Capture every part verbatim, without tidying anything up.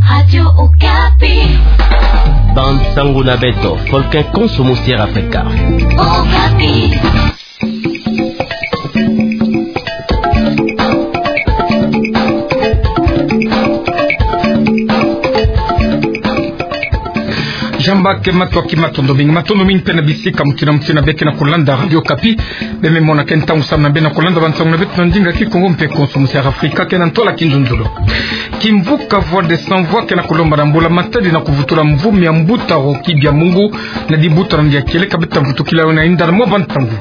Radio Okapi. Bansangu na beto, folke konso musi Air Afrika. Okapi. Jamba ke matoki matondo mingi, matondo mingi mpe na bisika mutindu na mutindu beke na kulanda Radio Okapi. Beme mona ke ntangu samu na beno kulanda bansangu na beto na ndinga Kikongo mpe konso musi Air Afrika, ke na ntola kinzonzolo. Kimvuka Voix des Sans Voix ke na kulomba na mbula matadi na kuvutula mvumi ya mbuta Rocky Byamungu na dibuta na nge ya kieleka. Beta vutukila yo na inda na mwa bansangu.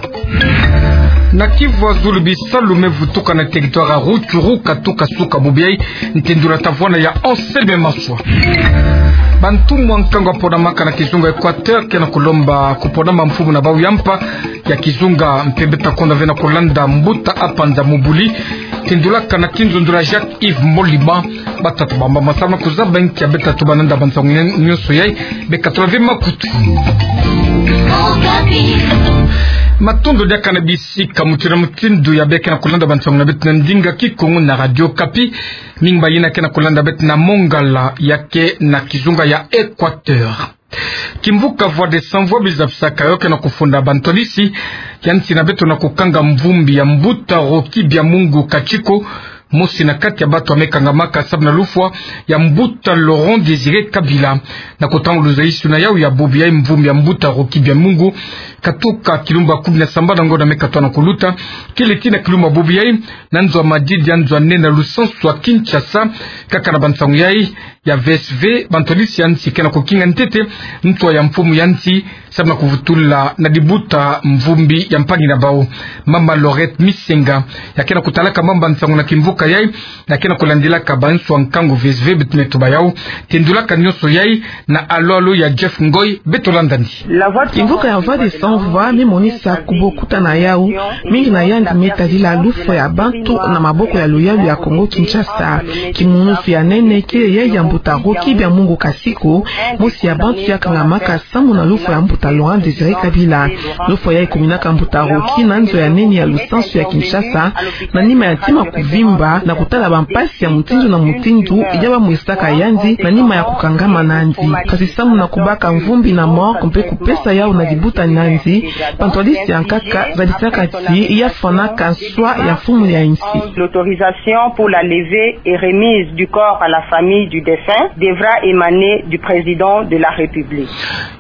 Na Kivu ya zulu, bisalu me vutuka na territoire ya Rutshuru katuka suka bubu yai, ntendula tavwanda ya Anselme Maswa. Bantumwa nkangu ya ponamaka na kizunga Equateur ke na kulomba kuponama mfumu na bau ya mpa ya kizunga, mpe beta konda ve na kulanda mbuta Apanza Mubuli, tendulaka na kinzonzolo ya Jacques Yves Molima. Batatu bamba masama kuzaba nkia beta tuba na nda bansangu nyonso yai, beka tula ve makutu. Matondo diaka na bisika mutindu na mutindu ya beke na kulanda bansangu na beto na ndinga Kikongo na Radio Okapi. Mingi bayina ke na kulanda beto na Mongala ya ke na kizunga ya Equateur. Kimvuka Voix des Sans Voix bizabisaka yo ke na kufunda bantwadisi ya nsi na beto na kukanga mvumbi ya mbuta Rocky Byamungu Kachiko, mosi na kati ya batu ya me kangamaka samu na lufwa ya mbuta Laurent Désiré Kabila. Na kutanga luzayisuna yau ya bubu yai, mvumbi ya mbuta Rocky Byamungu katuka kilumbu ya kumi na sambanu na ngonda me katwa na kuluta, kele tii na kilumbu ya bubu yai na nzo ya madidi ya nzo ya nene ya lusansu ya Kinshasa. Kaka na bansangu yai ya V S V, bantwadisi ya nsi ke na kukinga ntete ntwa ya mfumu ya nsi samu na kuvutula na dibuta mvumbi ya mpangi na bau, mama Laurette Misenga, ya ke na kutalaka mamba nsangu na kimvuka yai, ya ke na kulandilaka banswa nkangu V S V beto me tuba yau. Tendulaka nyonso yai na alo-alo ya Jeff Ngoy, beto landa ni. Kimvuka ya Voix des Sans Voix me monisa kubokutana yau mingi na yandi me tadila lufwa ya bantu na maboko ya luyalu ya Kongo Kinshasa. Kimunusu ya nene kele yai ya mbuta Rocky Byamungu Kachiko, mosi ya bantu ya kangamaka samu na lufwa ya mbuta Laurent Désiré Kabila. Lufwa yai ekuminaka mbuta Rocky na nzo ya nene ya lusansu ya Kinshasa, na nima ya ntima kuvimba na kutala bampasi ya mutindu na mutindu ya bamwisaka yandi na nima ya kukangama nandi. Kasi samu na kubaka mvumbi na morgue mpe kupesa yau na dibuta na nandi, bantwadisi ya nkaka zabisaka ti ya fwanaka nswa ya mfumu ya nsi. L'autorisation pour la levée et remise du corps à la famille du défunt devra émaner du président de la République.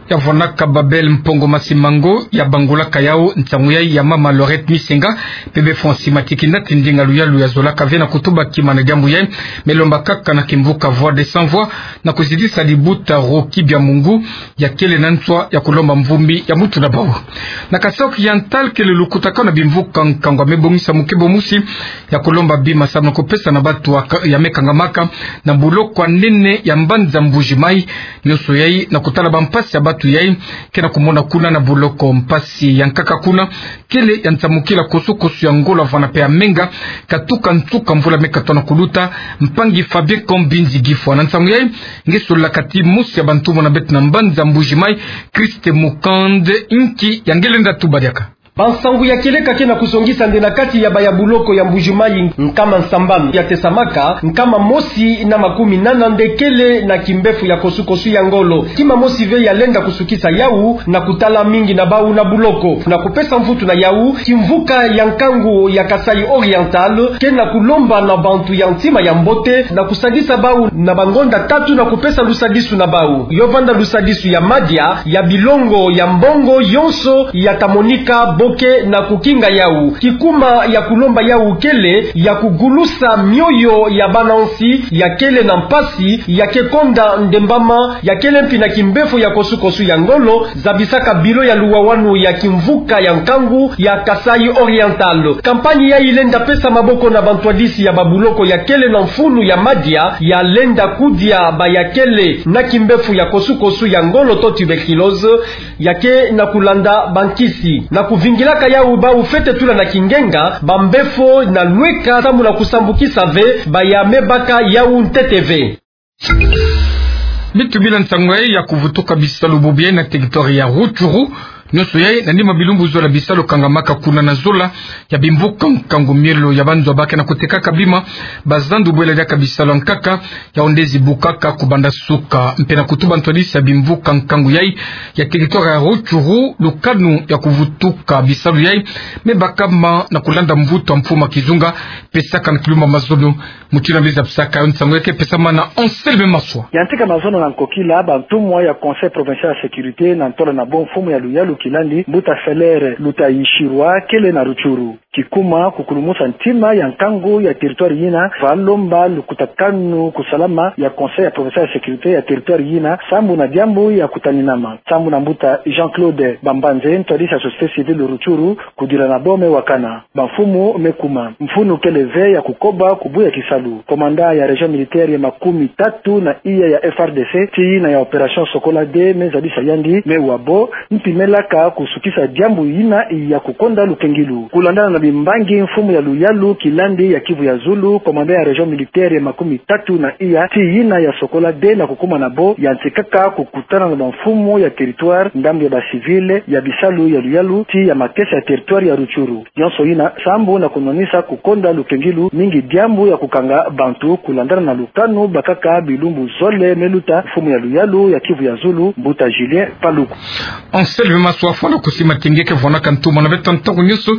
Ya vwanaka Babel Mpongo Masimango ya bangulaka yau nsangu yai ya mama Laurette Misenga, pebe Francis Matikina, tindinga luyalu ya zolaka ve na kutuba kima na diambu yai, me lomba kaka na kimvuka Voix des Sans Voix na kuzidisa dibuta Rocky Byamungu, ya kele na nswa ya kulomba mvumbi ya muntu na bau. Na Kasaï Oriental kele lukutakanu na bimvuka nkangu ya me bongisa mukebo mosi ya kulomba bima samu na kupesa na batu ya ka-, ya me kangamaka na buloko ya nene ya mbanza Mbuji-Mayi. Nyonso yai na kutala bampasi ya batu yai ke na kumona kuna na buloko. Mpasi ya nkaka kuna kele ya nsamukila kosukosu ya ngolo ya vwanda mpe ya menga, katuka nsuka mvula me katwa na kuluta. Mpangi Fabien Kombinzi Gifwa na nsangu yai nge sololaka ti mosi ya bantumwa na beto na mbanza Mbuji-Mayi, Christ Mukande, inki ya nge lenda tuba diaka. Bansangu ya kieleka ke na kuzongisa nde na kati ya baya buloko ya Mbuji-Mayi, nkama nsambanu ya tesamaka, nkama mosi na makumi nana nde kele na kimbefu ya kosukosu ya ngolo. Kima mosi ve ya lenda kusukisa yau na kutala mingi na bau na buloko. Na kupesa mvutu na yau, kimvuka ya nkangu ya Kasaï Oriental ke na kulomba na bantu ya ntima ya mbote na kusadisa bau na bangonda tatu na kupesa lusadisu na bau. Yo vanda lusadisu ya madia, ya bilongo, ya mbongo, yonso ya ta monika bo ke na kukinga yau. Kikuma ya kulomba yau kele ya kugulusa mioyo ya bana nsi ya kele na mpasi, ya ke konda ndembama, ya kele mpi na kimbefu ya kosukosu ya ngolo, zabisaka bilo ya luwawanu ya kimvuka ya nkangu ya Kasaï Oriental. Kampanye yai lenda pesa maboko na bantwadisi ya babuloko ya kele na mfunu ya madia, ya lenda kudia baya kele na kimbefu ya kosukosu ya ngolo to tuberculose, ya ke na kulanda bankisi. Na kuvingilaka yau bau fwete tula na kingenga, bambefo na lweka samu na kusambukisa ve baya me baka yau ntete ve. Bitu bila nsangu yai ya kuvutuka bisalu bubu yai na territoire ya Rutshuru, Nyonso yai na nima bilumbu zola bisalu kangamaka kuna na zola ya bimvuka nkangu, mielo ya banzwa ba ke na kutekaka bima, bazandu bwela diaka bisalu ya nkaka, ya onde zibukaka kubanda suka, mpe na kutuba ntwadisi ya bimvuka nkangu yai ya territoire ya Rutshuru lukanu ya kuvutuka bisalu yai, me bakama na kulanda mvutu ya mfumu ya kizunga, pesaka na Kilumba Mazono. Mutindu na mbi zabisaka yo, nsangu yai ke pesama na Anselme Maswa. Ya ntika mazono na nkokila, bantumwa ya Conseil Provincial ya Sécurité na ntola na bo mfumu ya luyalu kilandi, Mbuta Felere Lutayishirwa, kele na Rutshuru. Kikuma kukulumusa ntima ya nkangu ya territoire yina, va lomba lukutakanu kusalama ya Conseil ya Provincial ya Sécurité ya territoire yina, sambu na diambu ya kutaninama. Sambu na Mbuta Jean-Claude Bambanze, ntwadisi ya société civile Rutshuru, kudila na bo me wakana. Bamfumu me kuma. Mfunu kele ve ya kukoba kubuya kisalu. Commandant ya région militaire ya makumi tatu na iya ya F R D C, tii na ya opération Sokola deux, me zabisa yandi me wa bo, mpi me laka kusukisa diambu yina ya kukonda lukengilu. Kulandana na bimbangi, mfumu ya luyalu kilandi ya Kivu ya Zulu, commandant ya région militaire ya makumi tatu na iya, tii yina ya Sokola deux na kukuma na bo, ya ntikaka kukutana na bamfumu ya territoire, ndambu ya ba civil, ya bisalu ya luyalu, tii ya makesa ya territoire ya Rutshuru. Yonso yina sambu na kunwanisa kukonda lukengilu, mingi diambu ya kukanga bantu, kulandana na lukanu bakaka bilumbu zole me luta mfumu ya luyalu ya Kivu ya Zulu, Mbuta Julien Paluku. Anselme Maswa, fwana kusi matenge ke vwanaka ntumwa na beto ntangu nyonso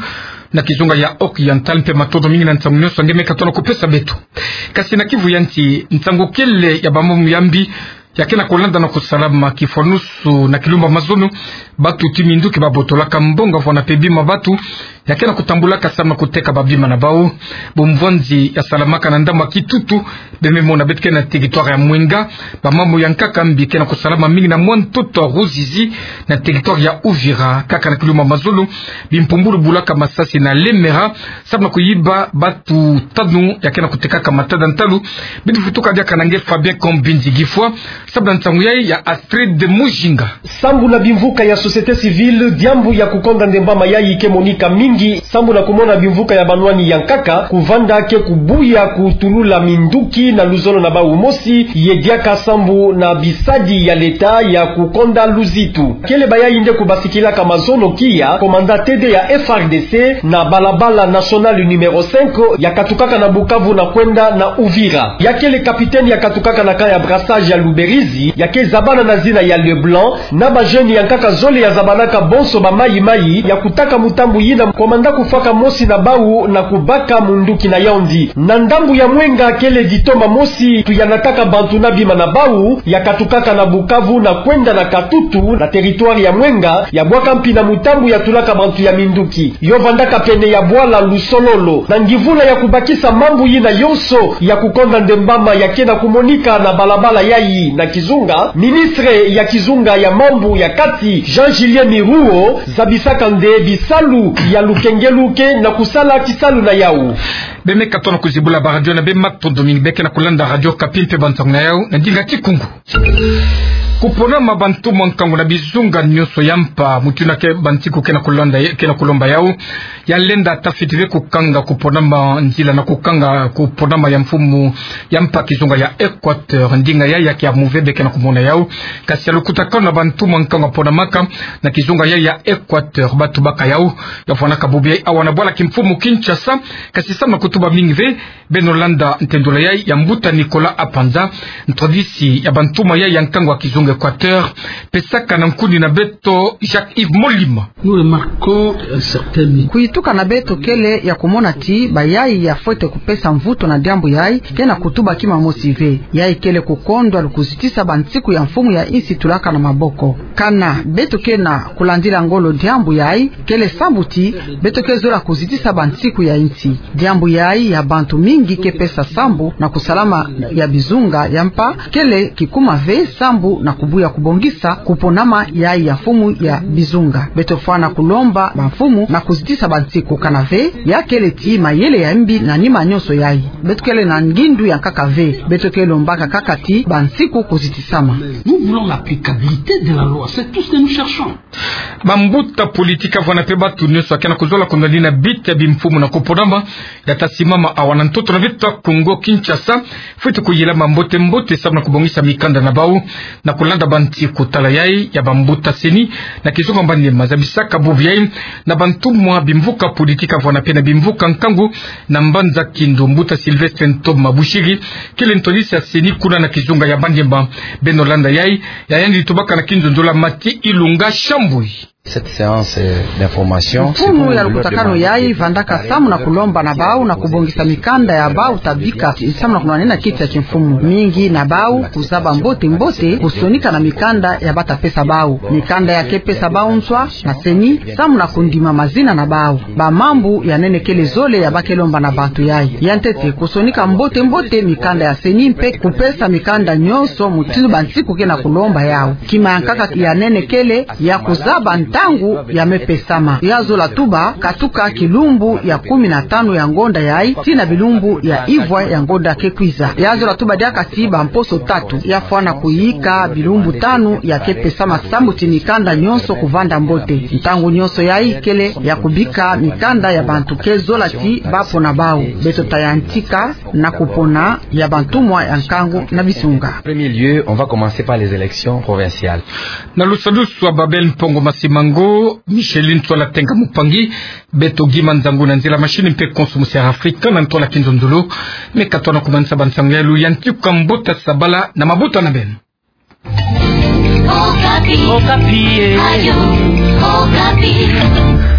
na kizunga ya Oriental, mpe matondo mingi na nsangu nyonso nge me katono kupesa beto. Kasi na Kivu ya Nsi, nsangu kele ya bamambu ya mbi ya ke na kulanda na kusalama kifwanusu na Kilumba Mazono. Batu tii minduki babotolaka mbongo, vwana mpe bima batu ya ke na kutambulaka samu na kuteka babima na bau. Bumvwanzi ya salamaka na ndambu ya Kitutu, beno me mona beto ke na territoire ya Mwenga, bamambu ya nkaka mbi ke na kusalama mingi na mwa ntoto ya Ruzizi, na territoire ya Uvira, kaka na Kilumba Mazono, bimpumbulu bulaka masasi na Lemera, samu na kuyiba batu tanu ya ke na kutekaka matada ntalu. Beno vutuka diaka na nge Fabien Kombindi Gifwa, samu na nsangu yai ya Astrid Mujinga. Sambu na bimvuka ya société civile, diambu ya kukonda ndembama yai ke monika mingi, sambu na kumona bimvuka ya banwani ya nkaka kuvanda ke kubuya kutulula minduki na luzolo na bau mosi, ye diaka sambu na bisadi ya leta ya kukonda luzitu. Kele bayai nde kubasikilaka mazono kia commandant T D ya F R D C na balabala nationale numéro cinq ya katukaka na Bukavu na kwenda na Uvira. Ya kele capitaine ya katukaka na camp ya brassage ya Luberizi, ya ke zabana na zina ya Leblanc, na ba jeunes ya nkaka zole ya zabanaka bonso ba mayi-mayi, ya kutaka mutambu yina commandant kufwaka mosi na bau na kubaka munduki na yandi. Na ndambu ya Mwenga kele ditoma mosi tu ya nataka bantu na bima na bau, ya katukaka na Bukavu na kwenda na Katutu, na territoire ya Mwenga, ya bwaka mpi na mutambu ya tulaka bantu ya minduki. Yo vandaka pene ya bwala Lusololo. Na ngivula ya kubakisa mambu yina yonso ya kukonda ndembama ya ke na kumonika na balabala yai na kizunga, ministre ya kizunga ya mambu ya kati, Jean Julien Miruho, zabisaka nde bisalu ya lukengelu ke na kusala kisalu na yau. Beno me katono kuzibula ba radio na beno, matondo mingi. Beno ke na kulanda Radio Okapi mpe bansangu na yau na ndinga Kikongo. Kuponama bantumwa nkangu na bizunga nyonso ya mpa, mutindu na ke bansiku ke na kulanda, ke na kulomba yau, ya lenda ata fiti ve kukanga kuponama nzila na kukanga kuponama ya mfumu ya mpa kizunga ya Équateur. Ndinga yai ya kiamu ve, beno ke na kumona yau. Kasi ya lukutakanu na bantumwa nkangu ya ponamaka na kizunga yai ya Équateur, batu bakayau, ya vwanaka bubu yai awa na bwala kimfumu Kinshasa, kasi samu na kutuba mingi ve, beno landa ntendula yai ya Mbuta Nicolas Apanza, ntwadisi ya bantumwa yai ya nkangu ya kizunga Équateur, pesaka na nkuni na beto Jacques-Yves Molima. Nous remarquons un certain mépris. Kuyituka na beto kele ya kumona ti bayai ya fwete kupesa mvutu na diambu yai, ke na kutuba kima mosi ve. Yai kele kukondwa lukuzitisa bansiku ya mfumu ya insi tulaka na maboko. Kana beto ke na kulandila ngolo diambu yai, kele sambu ti beto ke zola kuzitisa bansiku ya insi. Diambu yai ya bantu mingi ke pesa sambu na kusalama ya bizunga ya mpa, kele kikuma ve sambu na kubuya kubongisa kuponama yai ya mfumu ya bizunga. Beto fwana kulomba bamfumu na kuzitisa bansiku, kana ve ya kele ti mayele ya mbi na nima nyonso yai. Beto kele na ngindu ya nkaka ve. Beto ke lombaka kaka ti bansiku kuzitisama. Nous voulons l'applicabilité de la loi, c'est tout ce que nous cherchons. Bambuta politika vwana mpe batu nyonso ya ke na kuzola kunwanina bita bimfumu na kuponama ya ta simama awa na ntoto na beto Kongo Kinshasa, fwete kuyilama mbote-mbote samu na kubongisa mikanda na bau, na Landa ba nti kutala yai ya bambuta CENI na kizunga mbandi mazabisaka bubu yai na bantumwa bimvuka politika vwala pe na bimvuka nkangu na mbanza kindo, mbuta Sylvestre Ntoma Bushiri kele ntwadisi ya CENI kuna na kizunga ya Baniema. Beno landa yai, ya yandi tubaka na kinzonzolo na Mathy Ilunga Shambui. Cette séance, euh, d'information, mfumu ya lukutakanu yai vandaka samu na kulomba na bau na kubongisa mikanda ya bau ta bika, samu na kunwanena kiti ya kimfumu mingi na bau kuzaba mbote mbote kusonika na mikanda ya bata pesa bau, mikanda ya ke pesa bau nswa na CENI, samu na kundima mazina na bau. Bamambu ya nene kele zole ya ba ke lomba na bantu yai. Ya ntete, kusonika mbote mbote mikanda ya CENI mpe kupesa mikanda nyonso mutindu bansiku ke na kulomba yau. Kima ya nkaka ya nene kele ya kuzaba ntangu ya me pesama. Ya zola tuba katuka kilumbu ya kumi na tanu ya ngonda yai tii na bilumbu ya ivwa ya ngonda ke kwiza. Ya zola tuba diaka tii bamposo tatu, ya fwana kuyika bilumbu tanu ya ke pesama samu ti mikanda nyonso kuvanda mbote. Ntangu nyonso yai kele ya kubika mikanda ya bantu ke zola ti ba pona bau. Beto ta yantika na kupona ya bantumwa ya nkangu na bisunga. Premier lieu, on va commencer par les élections provinciales. Na lusadusu wa Babel Mpongo Masimango, Micheline Ntwala Tenga Mupangi, beto Guy Manzangu na nzila machine mpe konso musi ya Afrika na ntwala kinzonzolo. Me katwa na kumanisa bansango ya luyantiku kwa mbuta Sabala na mabuta na beno. Okapi. Okapi, eh. Radio Okapi.